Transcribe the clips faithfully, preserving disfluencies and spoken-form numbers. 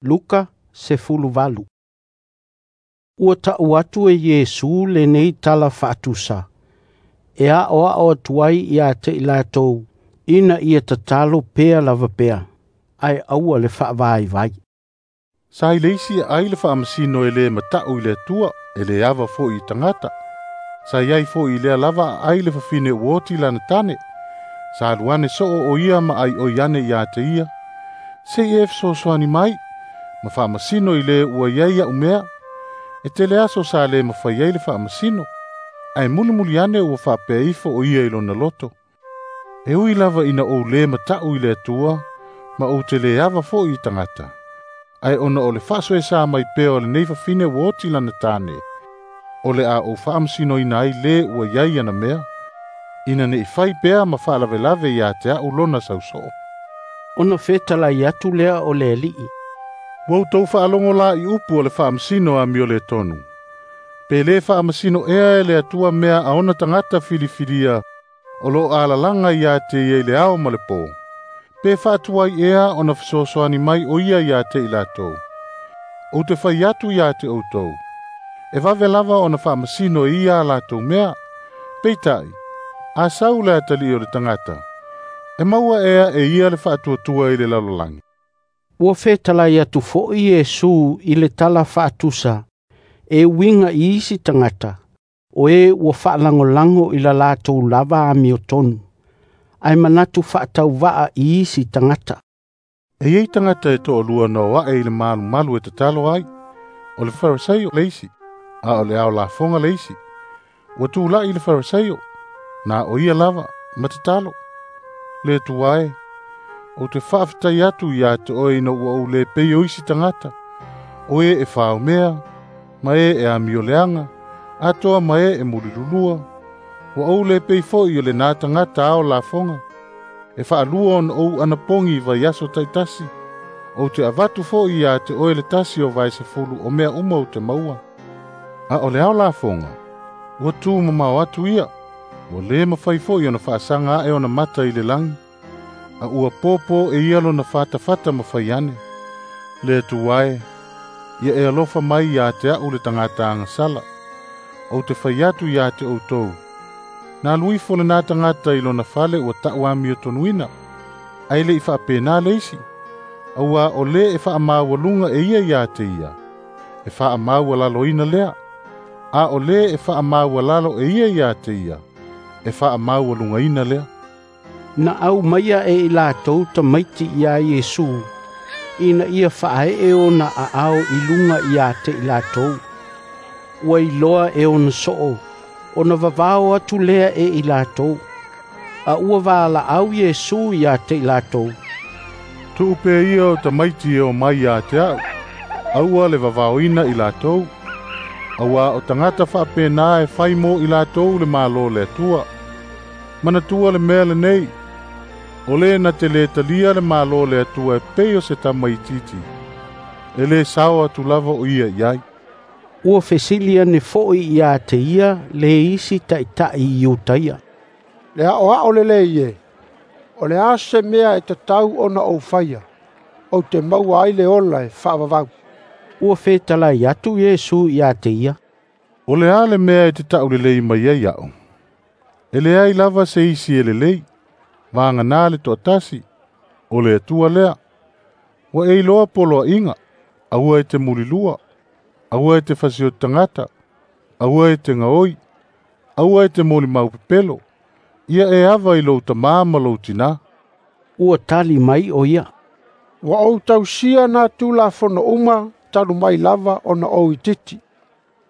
Luka sefuluvalu. Ua ta'u atu e Iesu lenei tala fa'atusa, e a'oa'o atu ai ia te i latou, ina ia tatalo pea lava pea, ae aua le fa'avaivai. Sa i le isi ai le faamasino e lē mata'u i le Atua, e lē ava fo'i i tagata. Sa iai fo'i i lea lava aai le fafine ua oti lana tane. Sa alu ane so'o o ia ma ai'oi ane iā te ia. Se'i e fesoasoani mai, ma faamasino i le ua i ai a'u mea. E tele aso sa lē mafai ai le faamasino. Ae mulimuli ane ua faapea ifo o ia i lona loto. E ui lava ina ou lē mata'u i le Atua, ma ou te lē ava fo'i i tagata. Ae ona o le faasoesā mai pea o lenei fafine ua oti lana tane, o le a ou faamasinoina ai lē ua i ai ana mea, ina ne'i fai pea ma faalavelave iā te a'u lona sauso'o. Ona fetalai atu lea o le Ali'i. Ua outou faalogo la i upu o le faamasino amioletonu. Pe lē faamasino ea e le Atua mea a ona tagata filifilia o loo alalaga iā te ia i le ao ma le pō. Pe faatuai ea ona fesoasoani mai o ia iā te i latou. Ou te fai atu iā te outou. E vave lava ona faamasino e ia a latou mea. Peitai, a sau le atalii o le tagata, e maua ea e ia le faatuatua i le lalolagi. Ua fetalai atu fo'i Iesu i le tala fa'atusa, e uiga i isi tagata, o e ua fa'alagolago i la latou lava amiotonu, ae manatu fa'atauva'a i isi tagata. E iai tagata e to'alua na o a'e i le malumalu e tatalo ai. O le Farisaio le isi, a o le ao lafoga le isi. Ua tula'i le Farisaio, na o ia lava, ma tatalo. Le Atua e, ou te faafetai atu iā te oe ina ua ou lē pei o isi tagata, o e e faomea, ma e e amioleaga, atoa ma e e mulilulua. Ua ou lē pei fo'i o lenā tagata ao lafoga. E faalua ona ou anapogi i vaiaso ta'itasi. Ou te avatu fo'i iā te oe le tasi o vaesefulu o mea uma ou te maua. A o le ao lafoga, ua tū mamao atu ia, ua lē mafai fo'i ona faasaga a'e ona mata i le lagi, a ua pōpō e ia lona fatafata ma fai ane. Le Atua e, ia e alofa mai iā te a'u le tagata agasala. Ou te fai atu iā te outou. Na alu ifo lenā tagata i lona fale ua ta'u amiotonuina, ae le'i fa'apenā le isi, auā o lē e fa'amaualuga e ia iā te ia, e fa'amaualaloina lea, a o lē e fa'amaualalo e ia iā te ia, e fa'amaualugaina lea. Na aumaia e i latou tamaiti iā Iesu, ina ia fa'ae'e ona a'ao i luga iā te i latou. Ua iloa e ona so'o, ona vavao atu lea e i latou. A ua vala'au Iesu iā te i latou. Tu'u pea ia o tamaiti e o mai iā te a'u, aua le vavaoina i latou, auā o tagata fa'apenā e fai mo i latou le Mālō o le Atua. Manatua le mea lenei, o lē na te lē talia le Mālō o le Atua e pei o se tamaitiiti, e lē sao atu lava o ia i ai. Ua fesili ane fo'i iā te ia le isi ta'ita'i Iutaia. Le a'oa'o lelei e, o le a se mea e tatau ona ou faia, ou te maua ai le ola e fa'avavau. Ua fetalai atu Iesu iā te ia. O le a le mea e te ta'ulelei mai ai a'u. E leai lava se isi e lelei, vaganā le to'atasi, o le Atua lea. Ua e iloa poloa'iga, aua e te mulilua, aua e te fasioti tagata, aua e te gaoi, aua e te molimau pepelo, ia e ava i lou tamā ma lou tinā. Ua tali mai o ia. Ua ou tausia nā tulafono uma talu mai lava ona ou itiiti.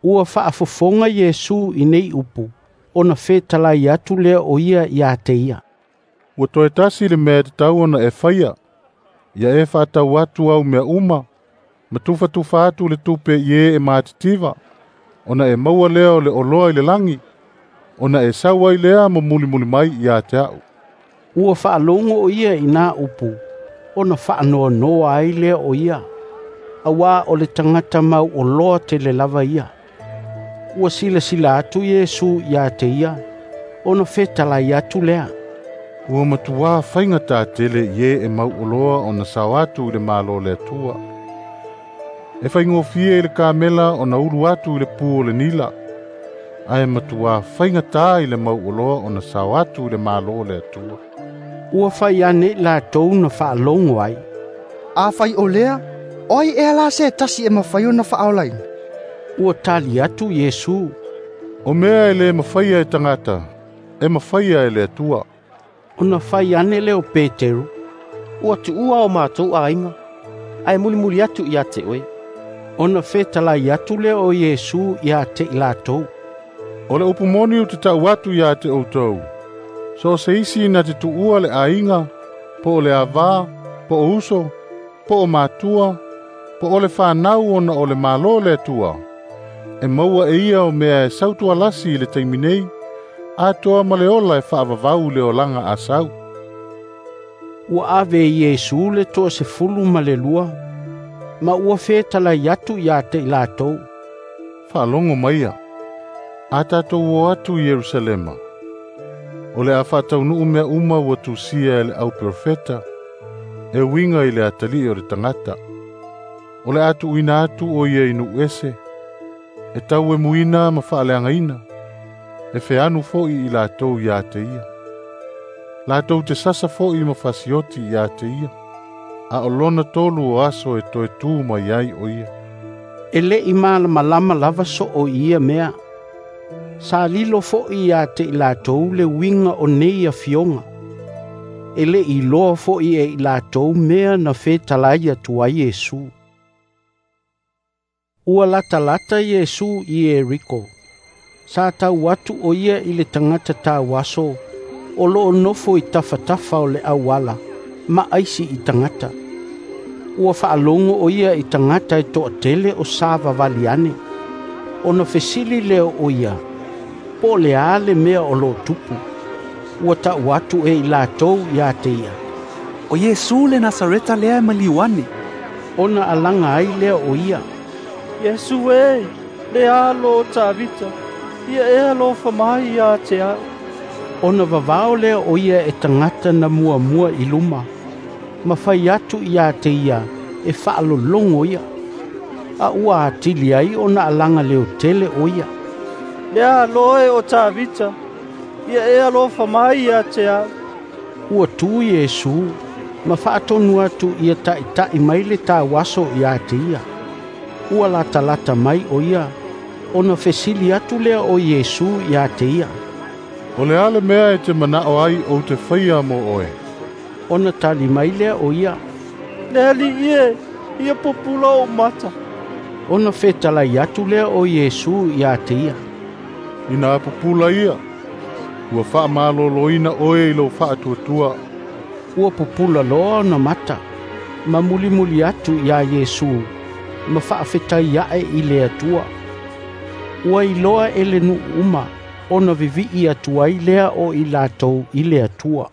Ua fa'afofoga Iesu i nei upu, ona fetalai atu lea o ia iā te ia. Ua toe tasi le mea e tatau ona e faia, ia e fa'atau atu au mea uma, ma tufatufa atu le tupe i e e matitiva, ona e maua lea o le oloa i le lagi, ona e sau ai lea ma mulimuli mai iā te a'u. Ua fa'alogo o ia i nā upu, ona fa'anoanoa ai lea o ia, auā o le tagata mau oloa tele lava ia. Ua silasila atu Iesu iā te ia, ona fetalai atu lea. Ua matuā faigatā tele i e e mau oloa ona sao atu i le Mālō o le Atua. E faigofie i le kamela ona ulu atu i le pu o le nila, ae matuā faigata i le mauoloa ona sao atu i le Malo o le Atua. Ua fai ane i latou na faalogo ai, "Afai o lea, o ai ea la se tasi e mafai ona faaolaina?" Ua tali atu Iesu, "O mea e le mafaia e tagata, e mafaia e le Atua." Ona fai ane lea o Peteru, "Ua tuua o matou aiga, ae mulimuli atu ia te oe." Ona fetalai atu lea o Iesu ia te i latou, "O le upu moni ou te tau atu ia te outou, so se isi na te tuua le aiga, po o le avā, po o uso, po o matua, po o le fanau ona o le Malo o le Atua, e maua e ia o mea e sautualasi i le taimi nei, atoa ma le ola e faavavau i le olaga a sau." Ua ave e Iesu le toasefulu ma le lua, ma ua fetalai atu ia te i latou, "Faalogo maia, a tatou o atu i Ierusalema, o le a faataunuu mea uma ua tusia e le auprofeta, e uiga i le atalii o le tagata. O le a tuuina atu o ia i nuu ese, e tauemuina ma faaleagaina, e feanu foi i latou ia te ia. Latou te sasa foi ma fasioti ia te ia, a o lona tolu o aso e toe tu mai ai o ia." E le i malamalama lava so o ia mea. Sa lilo foi ia te i latou le uiga o nei afioga. E le i loa foi e i latou mea na fetalai atu ai Iesu. Ua latalata Iesu i Ieriko. Sa tau atu o ia i le tagata tauaso, o loo nofo i tafatafa o le auala, ma aisi i tagata. Ua faalogo o ia i tagata e toatele o savavali ane. Ona fesili lea o ia, po o le a le mea o loo tupu. Ua tau atu e i latou ia te ia, "O Iesu le Nasareta lea e maliu ane." Ona alaga ai lea o ia, "Iesu e, le alo o Tavita, ia e alofa mai ia te au." Ona vavao lea o ia e tagata na muamua i luma, ma fai atu ia te ia e faalologo ia. A ua atili ai ona alaga leotele o ia, "Le alo e o Tavita, ia e alofa mai ia te au." Ua tu Iesu ma faatonu atu ia taʻitaʻi mai le tauaso ia te ia. Ua latalata mai o ia, ona fesili atu lea o Iesu ia te ia, "O le a le mea e te manao ai ou te faia mo oe?" Ona tali mai lea o ia, "Le alii e, ia pupula ou mata." Ona fetalai atu lea o Iesu ia te ia, "Ina pupula ia, ua faamaloloina oe i lou faatuatua." Ua pupula loa ona mata, ma mulimuli atu ia Iesu, ma faafetai ae i le Atua. Ua iloa e le nuu uma, ona vivii atu ai lea o i latou i le Atua.